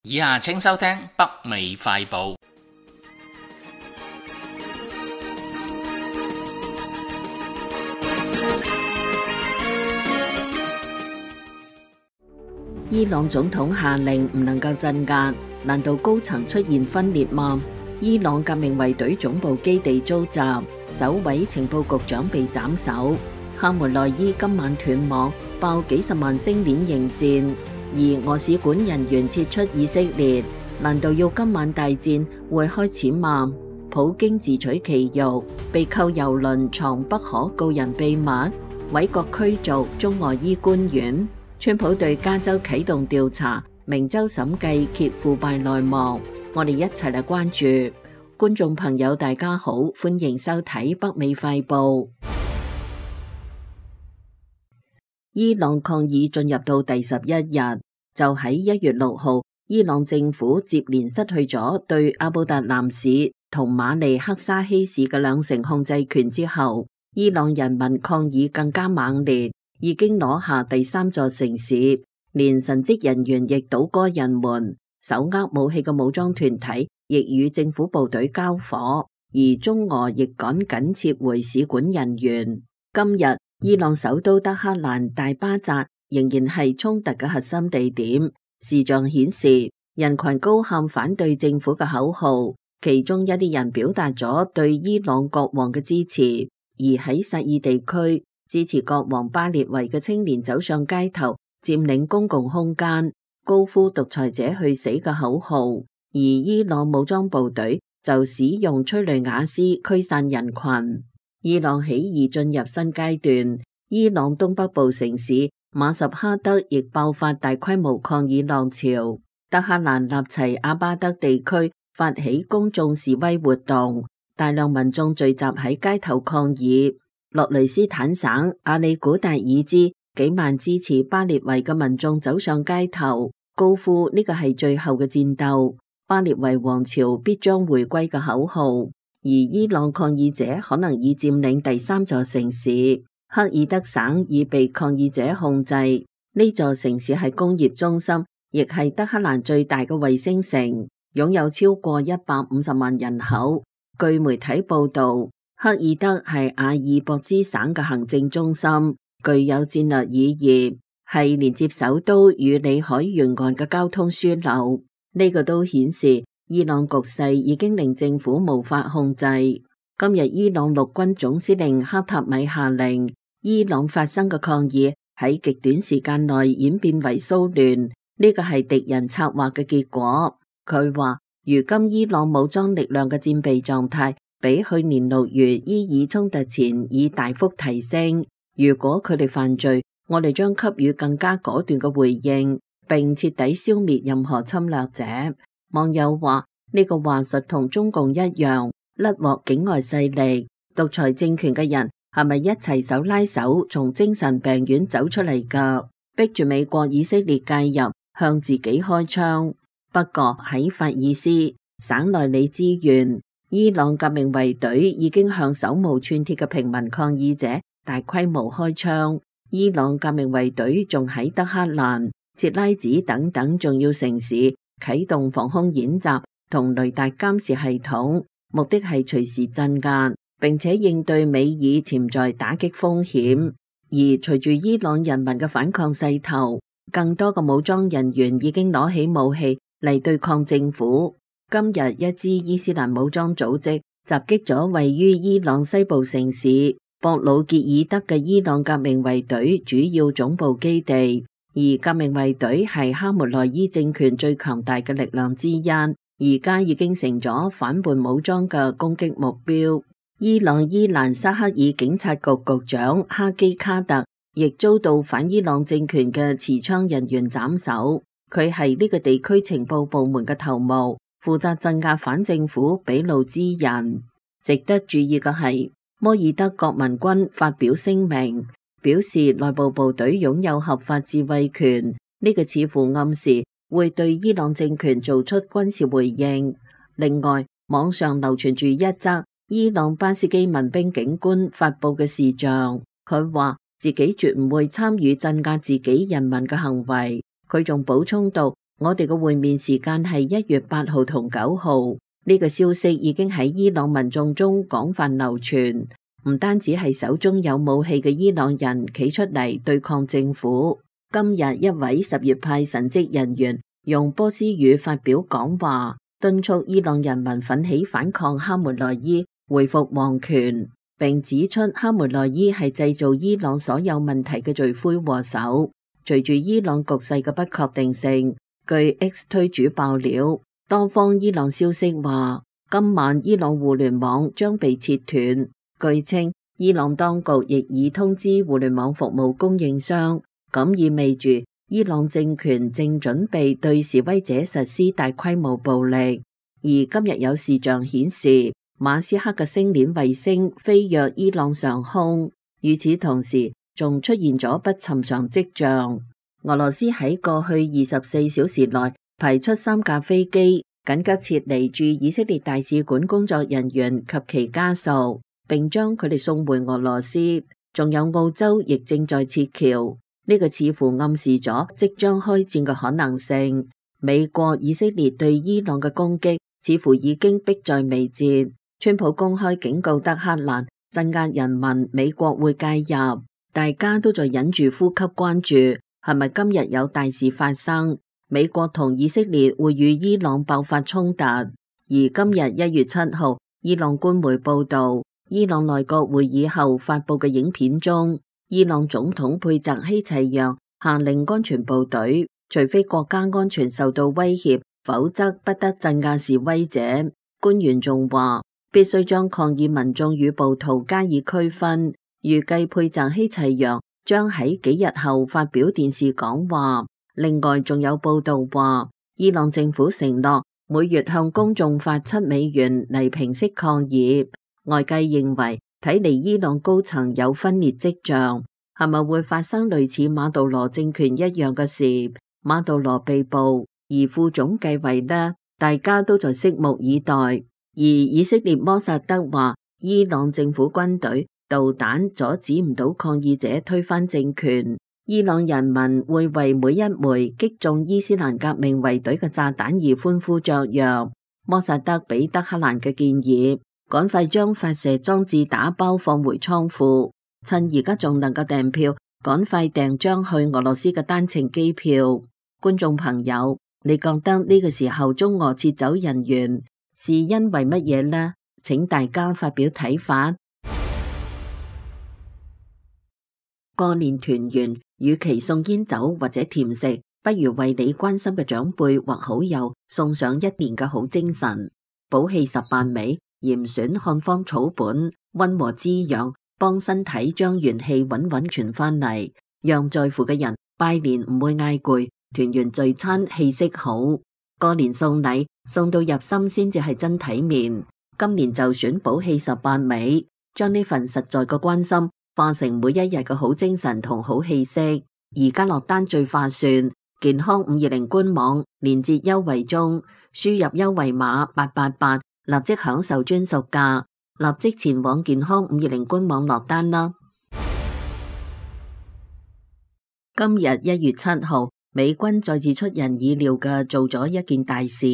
以下請收聽北美快報。伊朗總統下令唔能夠鎮壓，難道高層出現分裂嗎？伊朗革命衛隊總部基地遭襲，首位情報局長被斬首。哈梅內伊今晚斷網，爆幾十萬星鏈應戰，而俄使館人員撤出以色列，難道要今晚大戰會開始嗎？普京自取其辱，被扣郵輪藏不可告人秘密，委國驅逐中俄醫官員。川普對加州啟動調查，明州審計揭腐敗內幕。我哋一齊嚟關注。觀眾朋友大家好，歡迎收睇北美快報。伊朗抗議進入到第11日，就喺1月6號，伊朗政府接連失去咗對阿布達蘭市同馬尼克沙希市嘅2成控制權之後，伊朗人民抗議更加猛烈。已經攞下第3座城市，連神職人員亦倒戈人門，手握武器嘅武裝團體亦與政府部隊交火，而中俄亦趕緊撤回使館人員。今日伊朗首都德黑蘭大巴扎仍然係衝突嘅核心地點，視像顯示人群高喊反對政府嘅口號，其中一啲人表達咗對伊朗國王嘅支持，而喺薩爾地區，支持國王巴列維嘅青年走上街頭，佔領公共空間。高呼獨裁者去死嘅口號，而伊朗武裝部隊就使用催淚瓦斯驅散人群。伊朗起義進入新階段，伊朗東北部城市馬什哈德亦爆發大規模抗議浪潮，德黑蘭納齊阿巴德地區發起公眾示威活動，大量民眾聚集喺街頭抗議。洛雷斯坦省阿里古達爾茲幾萬支持巴列維嘅民眾走上街頭，高呼呢個係最後嘅戰鬥，巴列維王朝必將回歸嘅口號。而伊朗抗議者可能已佔領第3座城市，克爾德省已被抗議者控制。呢座城市係工業中心，亦係德黑蘭最大嘅衛星城，擁有超過150萬人口。據媒體報道，克爾德係阿爾博茲省嘅行政中心，具有戰略意義，係連接首都與裏海沿岸嘅交通樞紐。呢個都顯示伊朗局勢已經令政府無法控制。今日伊朗陸軍總司令克塔米下令，伊朗發生嘅抗議喺極短時間內演變為騷亂，呢個係敵人策劃嘅結果。佢話，如今伊朗武裝力量嘅戰備狀態比去年6月伊爾衝突前已大幅提升。如果佢哋犯罪，我哋將給予更加果斷嘅回應，並徹底消滅任何侵略者。網友話，呢個話術同中共一樣，甩獲境外勢力、獨裁政權嘅人係咪一齊手拉手從精神病院走出嚟㗎？逼住美國以色列介入，向自己開槍。不過喺法爾斯省內里茲縣，伊朗革命衛隊已經向手無寸鐵嘅平民抗議者大規模開槍。伊朗革命衛隊仲喺德黑蘭、切拉子等等重要城市啟動防空演習同雷達監視系統，目的係隨時鎮壓，並且應對美以潛在打擊風險。而隨住伊朗人民嘅反抗勢頭，更多嘅武裝人員已經攞起武器嚟對抗政府。今日一支伊斯蘭武裝組織襲擊咗位於伊朗西部城市博魯傑爾德嘅伊朗革命衛隊主要總部基地。而革命衛隊係哈梅內伊政權最強大嘅力量之一，而家已經成咗反叛武裝嘅攻擊目標。伊朗伊蘭沙克爾警察局局長哈基卡特亦遭到反伊朗政權嘅持槍人員斬首，佢係呢個地區情報部門嘅頭目，負責鎮壓反政府俾路支人。值得注意嘅係，摩爾德國民軍發表聲明，表示內部部隊擁有合法自衛權，呢個似乎暗示會對伊朗政權做出軍事回應。另外，網上流傳住一則伊朗巴斯基民兵警官發佈嘅視像，佢話自己絕唔會參與鎮壓自己人民嘅行為。佢仲補充到，我哋嘅會面時間係1月8號同9號。呢個消息已經喺伊朗民眾中廣泛流傳。唔單止係手中有武器嘅伊朗人企出嚟對抗政府。今日一位什葉派神職人員用波斯語發表講話，敦促伊朗人民奮起反抗哈梅內伊，恢復王權，並指出哈梅內伊係製造伊朗所有問題嘅罪魁禍首。隨住伊朗局勢嘅不確定性，據 X 推主爆料，多方伊朗消息話，今晚伊朗互聯網將被切斷。據稱，伊朗當局亦已通知互聯網服務供應商，咁意味住伊朗政權正準備對示威者實施大規模暴力。而今日有視像顯示，馬斯克嘅星鏈衛星飛躍伊朗上空，與此同時仲出現咗不尋常跡象。俄羅斯喺過去24小時內派出3架飛機，緊急撤離駐以色列大使館工作人員及其家屬，並將佢哋送回俄羅斯，仲有澳洲亦正在撤僑，呢個似乎暗示咗即將開戰嘅可能性。美國、以色列對伊朗嘅攻擊似乎已經迫在眉睫。川普公開警告德黑蘭鎮壓人民，美國會介入，大家都在忍住呼吸關注，係咪今日有大事發生？美國同以色列會與伊朗爆發衝突。而今日1月7號，伊朗官媒報道，伊朗內閣會議後發佈嘅影片中，伊朗總統佩澤希齊揚下令安全部隊除非國家安全受到威脅，否則不得鎮壓示威者。官員仲話，必須將抗議民眾與暴徒加以區分。預計佩澤希齊揚將喺幾日後發表電視講話。另外，仲有報道話，伊朗政府承諾每月向公眾發$7嚟平息抗議。外界認為，睇嚟伊朗高層有分裂跡象，係咪會發生類似馬杜羅政權一樣嘅事？馬杜羅被捕，而副總繼位呢？大家都在拭目以待。而以色列摩薩德話，伊朗政府軍隊導彈阻止唔到抗議者推翻政權，伊朗人民會為每一枚擊中伊斯蘭革命衛隊嘅炸彈而歡呼雀躍。摩薩德俾德黑蘭嘅建議，趕快將發射裝置打包放回倉庫，趁而家仲能夠訂票，趕快訂張去俄羅斯嘅單程機票。觀眾朋友，你覺得呢個時候中俄撤走人員是因為乜嘢呢？請大家發表睇法。過年團圓，與其送煙酒或者甜食，不如為你關心嘅長輩或好友送上一年嘅好精神。補氣18味，嚴選漢方草本，溫和滋養，幫身體將元氣穩穩傳返嚟，讓在乎嘅人拜年唔會嗌攰，團圓聚餐氣息好。過年送禮送到入心先至係真體面。今年就選補氣18味，將呢份實在嘅關心化成每一日嘅好精神同好氣息。而家落單最划算，健康520官網連結優惠中，輸入優惠碼888，立即享受專屬價，立即前往健康520官網落單啦。今日1月7號，美軍再次出人意料嘅做咗一件大事。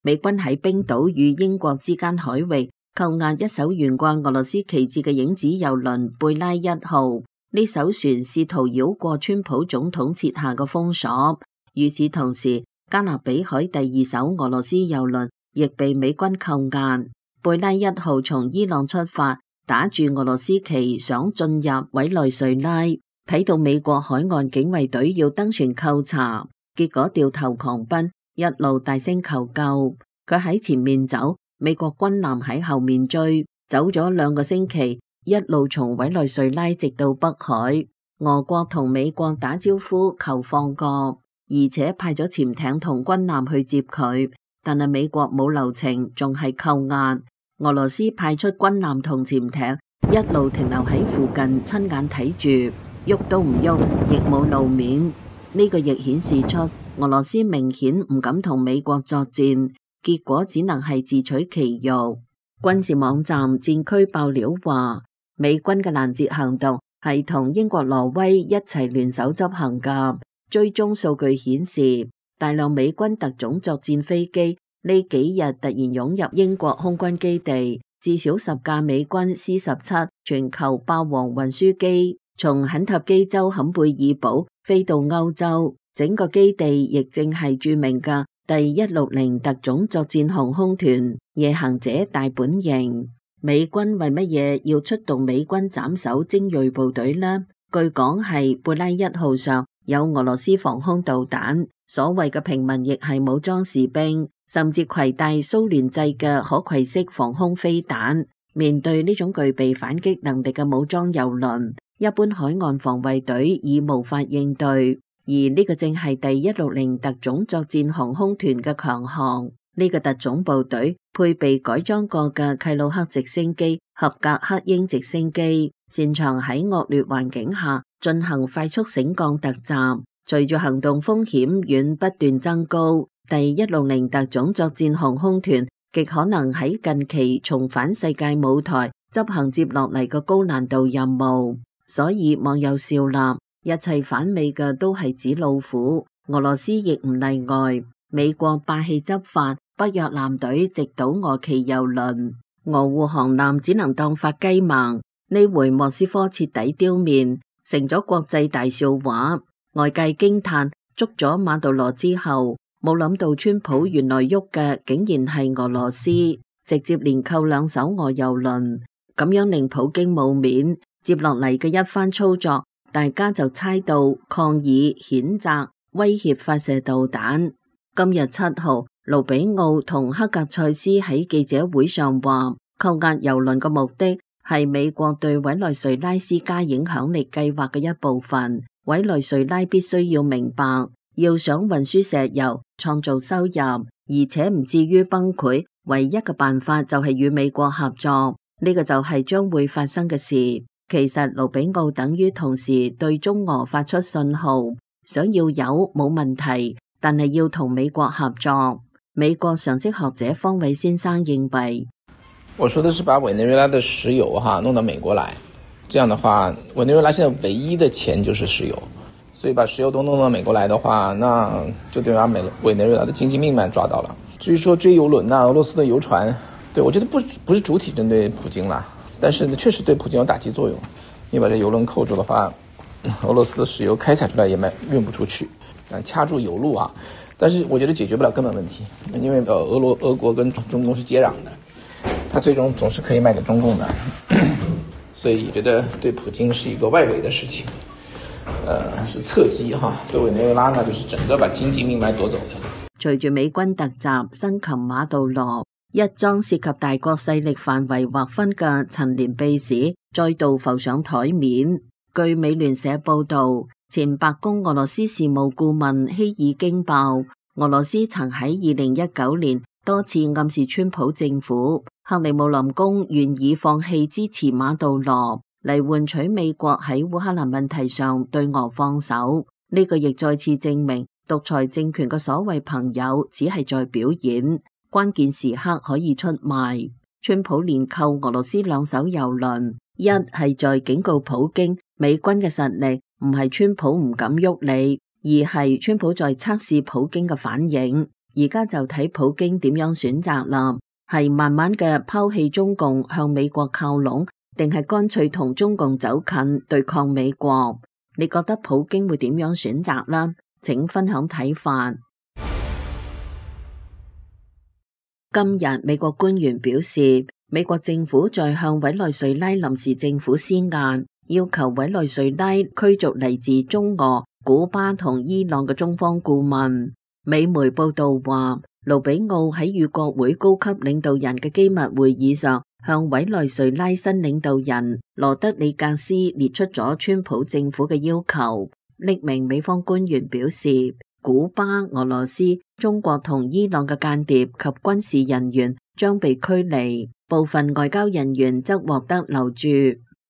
美軍喺冰島與英國之間海域扣押一艘懸掛俄羅斯旗幟嘅影子郵輪貝拉1號。呢艘船試圖繞過川普總統設下嘅封鎖。與此同時，加勒比海第2艘俄羅斯郵輪亦被美軍扣押。貝拉1號從伊朗出發，打住俄羅斯旗想進入委內瑞拉，睇到美國海岸警衛隊要登船扣查，結果掉頭狂奔，一路大聲求救。佢喺前面走，美國軍艦喺後面追，走咗2個星期，一路從委內瑞拉直到北海。俄國同美國打招呼求放過，而且派咗潛艇同軍艦去接佢，但係美國冇留情，仲係扣押。俄羅斯派出軍艦同潛艇，一路停留喺附近，親眼睇住，喐都唔喐，亦冇露面。呢個亦顯示出俄羅斯明顯唔敢同美國作戰，結果只能係自取其辱。軍事網站戰區爆料話，美軍嘅攔截行動係同英國、挪威一齊聯手執行㗎。追蹤數據顯示，大量美軍特種作戰飛機呢幾日突然湧入英國空軍基地，至少10架美軍 C-17全球霸王運輸機從肯塔基州坎貝爾堡飛到歐洲。整個基地亦正係著名嘅第160特種作戰航空團夜行者大本營。美軍為乜嘢要出動美軍斬首精銳部隊呢？據講係貝拉1號上有俄羅斯防空導彈，所謂嘅平民亦係武裝士兵，甚至攜帶蘇聯製嘅可攜式防空飛彈。面對呢種具備反擊能力嘅武裝郵輪，一般海岸防衛隊已無法應對。而呢個正係第160特種作戰航空團嘅強項。呢個特種部隊配備改裝過嘅契魯克直升機、合格克鷹直升機，擅長喺惡劣環境下進行快速升降突襲。隨住行動風險遠不斷增高，第160特種作戰航空團極可能喺近期重返世界舞台，執行接落嚟嘅高難度任務。所以網友笑納，一切反美嘅都係紙老虎，俄羅斯亦唔例外。美國霸氣執法，北約艦隊直搗俄旗郵輪，俄護航艦只能當發雞盲。呢回莫斯科徹底丟面，成咗國際大笑話。外界驚嘆，捉咗馬杜羅之後，冇諗到川普原來喐嘅竟然係俄羅斯，直接連扣2艘俄郵輪，咁樣令普京冇面。接落嚟嘅一番操作，大家就猜到抗議、譴責威脅發射導彈。今日7號，盧比奧同克格塞斯喺記者會上話，扣押油輪嘅目的係美國對委內瑞拉施加影響力計劃嘅一部分。委內瑞拉必須要明白，要想運輸石油、創造收入，而且唔至於崩潰，唯一嘅辦法就係與美國合作。呢個就係將會發生嘅事。其實盧比奧等於同時對中俄發出信號，想要有冇問題，但係要同美國合作。美國常識學者方偉先生認為，我說的是把委內瑞拉的石油弄到美國來，這樣的話委內瑞拉現在唯一的錢就是石油，所以把石油都弄到美國來的話，那就等於把委內瑞拉的經濟命脈抓到了。至於說追油輪俄羅斯的油船，對，我覺得不是主體針對普京啦，但是確實對普京有打擊作用。你把這油輪扣住的話，俄羅斯的石油開採出來也運不出去，掐住油路啊。但是我覺得解決不了根本問題，因為俄國跟中共是接壤的，它最終總是可以賣給中共的，所以覺得對普京是一個外圍的事情，是側擊哈。對委內瑞拉呢，就是整個把經濟命脈奪走的。隨住美軍突襲生擒馬杜羅，一樁涉及大國勢力範圍劃分嘅陳年秘史再度浮上台面。據美聯社報道，前白宮俄羅斯事務顧問希爾驚爆，俄羅斯曾喺2019年多次暗示川普政府，克里姆林宮願意放棄支持馬杜羅嚟換取美國喺烏克蘭問題上對俄放手。呢個亦再次證明獨裁政權嘅所謂朋友只係在表演，關鍵時刻可以出賣。川普連扣俄羅斯2艘油輪，一係在警告普京，美軍嘅實力唔係川普唔敢喐你，而係川普在測試普京嘅反應。而家就睇普京點樣選擇啦，係慢慢嘅拋棄中共向美國靠攏，定係乾脆同中共走近對抗美國？你覺得普京會點樣選擇啦？請分享睇法。今日美國官員表示，美國政府在向委內瑞拉臨時政府施壓，要求委內瑞拉驅逐嚟自中俄、古巴同伊朗嘅中方顧問。美媒報道話，盧比奧喺與國會高級領導人嘅機密會議上，向委內瑞拉新領導人羅德里格斯列出咗川普政府嘅要求。匿名美方官員表示，古巴、俄羅斯、中國同伊朗嘅間諜及軍事人員將被驅離，部分外交人員則獲得留住。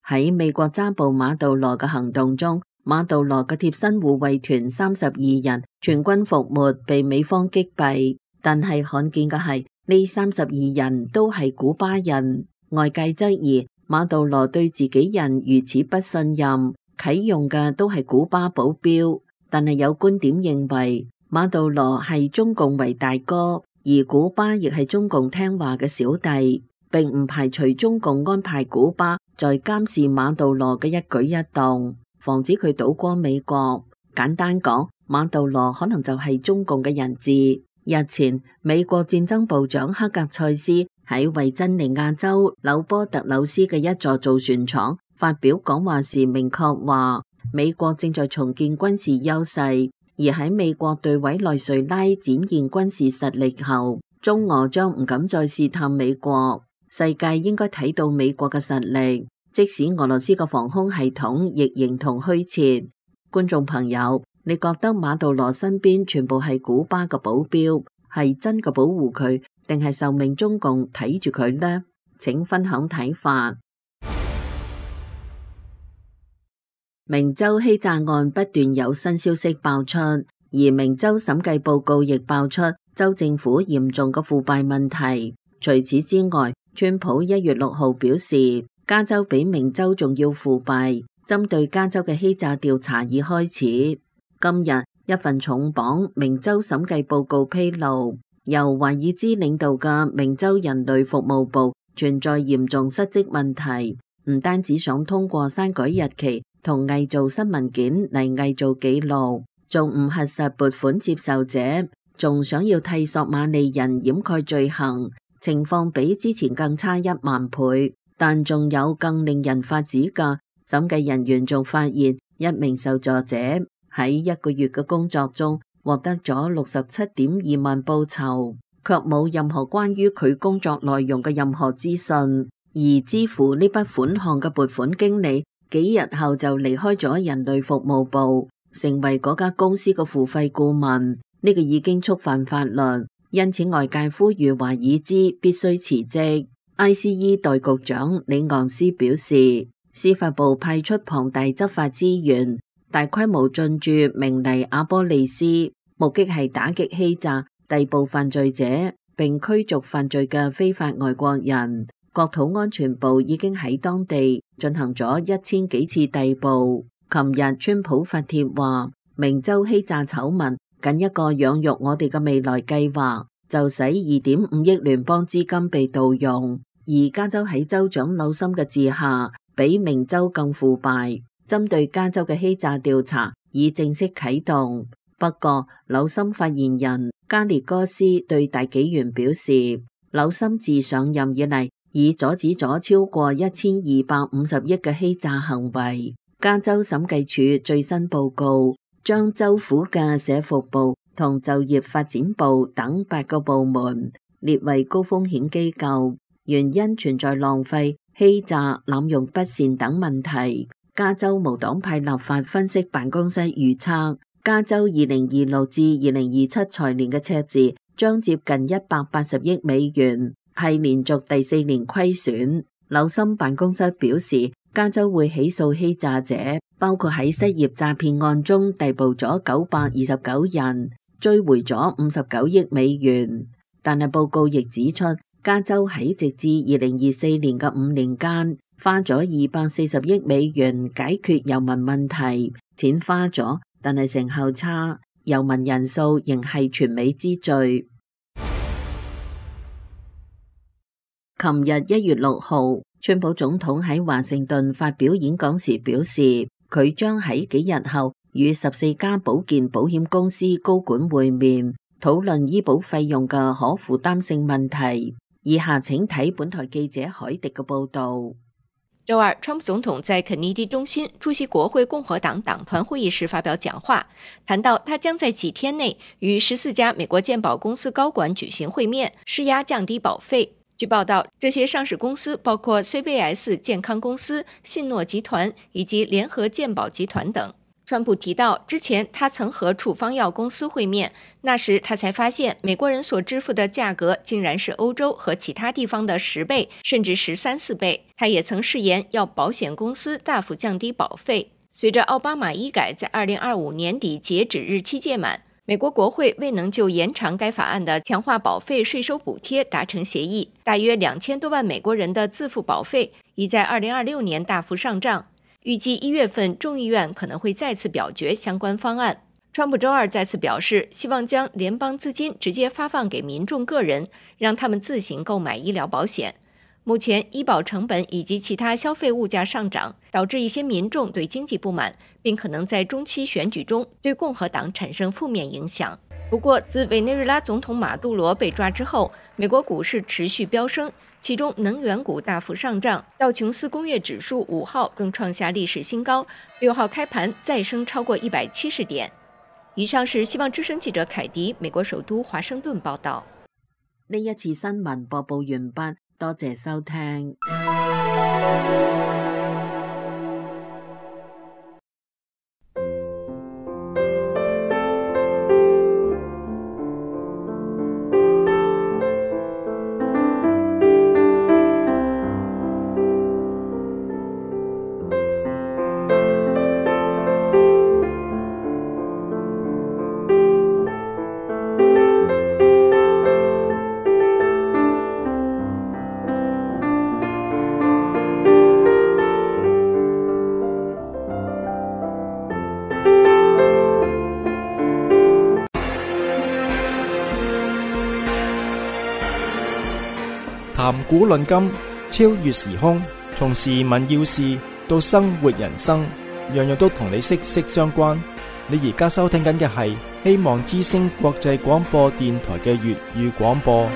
喺美國抓捕馬杜羅嘅行動中，馬杜羅嘅貼身護衛團32人全軍覆沒，被美方擊斃。但係罕見嘅係，呢32人都係古巴人。外界質疑馬杜羅對自己人如此不信任，啟用嘅都係古巴保鏢。但係有觀點認為，馬杜羅係中共為大哥，而古巴亦係中共聽話嘅小弟，並唔排除中共安排古巴在監視馬杜羅嘅一舉一動，防止佢倒光美國。簡單講，馬杜羅可能就係中共嘅人質。日前，美國戰爭部長克格塞斯喺維珍尼亞州紐波特紐斯嘅一座造船廠發表講話時，明確話美國正在重建軍事優勢，而喺美國對委內瑞拉展現軍事實力後，中俄將唔敢再試探美國。世界應該睇到美國嘅實力，即使俄羅斯嘅防空系統亦形同虛設。觀眾朋友，你覺得馬杜羅身邊全部係古巴嘅保鏢，係真嘅保護佢，定係受命中共睇住佢呢？請分享睇法。明州欺詐案不斷有新消息爆出，而明州審計報告亦爆出州政府嚴重嘅腐敗問題。除此之外，川普1月6號表示，加州比明州仲要腐敗，針對加州嘅欺詐調查已開始。今日一份重磅明州審計報告披露，由華爾茲領導嘅明州人類服務部存在嚴重失職問題，唔單止想通過刪改日期同偽造新文件嚟偽造記錄，仲唔核實撥款接受者，仲想要替索馬利人掩蓋罪行，情況比之前更差1萬倍。但仲有更令人髮指嘅，審計人員仲發現一名受助者喺1個月嘅工作中獲得咗67.2萬報酬，卻冇任何關於佢工作內容嘅任何資訊。而支付呢筆款項嘅撥款經理幾日後就離開咗人類服務部，成為嗰家公司嘅付費顧問。呢個已經觸犯法律，因此外界呼籲華爾茲必須辭職。ICE 代局長李昂斯表示，司法部派出龐大執法資源，大規模進駐明尼阿波利斯，目的係打擊欺詐、逮捕犯罪者並驅逐犯罪嘅非法外國人。國土安全部已經喺當地進行咗1000幾次逮捕。琴日川普發帖話，明州欺詐醜聞僅一個養育我哋嘅未來計劃，就使2.5億聯邦資金被盜用。而加州喺州長紐森嘅治下，比明州更腐敗。針對加州嘅欺詐調查已正式啟動。不過，紐森發言人加列哥斯對大紀元表示，紐森自上任以嚟，已阻止咗超過1250億嘅欺詐行為。加州審計署最新報告將州府嘅社福部同就業發展部等8個部門列為高風險機構，原因存在浪費、欺詐、濫用不善等問題。加州無黨派立法分析辦公室預測，加州2026至2027財年嘅赤字將接近180億美元，係連續第4年虧損。紐森辦公室表示，加州會起訴欺詐者，包括喺失業詐騙案中逮捕咗929人，追回咗59億美元。但係報告亦指出，加州喺直至2024年嘅5年間，花咗240億美元解決遊民問題，錢花咗，但係成效差，遊民人數仍係全美之最。琴日1月6號，川普總統喺華盛頓發表演講時表示，佢將喺幾日後與14家保健保險公司高管會面，討論醫保費用嘅可負擔性問題。以下請睇本台記者海迪嘅報道。周二，川普總統在肯尼迪中心出席國會共和黨黨團會議時發表講話，談到他將在幾天內與14家美國健保公司高管舉行會面，施壓降低保費。據報道，這些上市公司包括 CVS 健康公司、信諾集團以及聯合健保集團等。川普提到，之前他曾和處方藥公司會面，那時他才發現美國人所支付的價格竟然是歐洲和其他地方的10倍，甚至13、14倍。他也曾誓言要保險公司大幅降低保費。隨着奧巴馬醫改在2025年底截止日期屆滿，美國國會未能就延長該法案的強化保費稅收補貼達成協議，大約2000多萬美國人的自付保費已在2026年大幅上漲。預計1月份眾議院可能會再次表決相關方案。川普周二再次表示，希望將聯邦資金直接發放給民眾個人，讓他們自行購買醫療保險。目前醫保成本以及其他消費物價上漲，導致一些民眾對經濟不滿，並可能在中期選舉中對共和黨產生負面影響。不過，自委內瑞拉總統馬杜羅被抓之後，美國股市持續飆升，其中能源股大幅上漲，道瓊斯工業指數5號更創下歷史新高，6號開盤再升超過170點。以上是希望之聲記者凱迪美國首都華盛頓報道。呢一次新聞播報完畢，多謝收聽。談古論今，超越時空，從時聞要事到生活人生，樣樣都同你息息相關。你而家收聽緊嘅係希望之聲國際廣播電台嘅粵語廣播。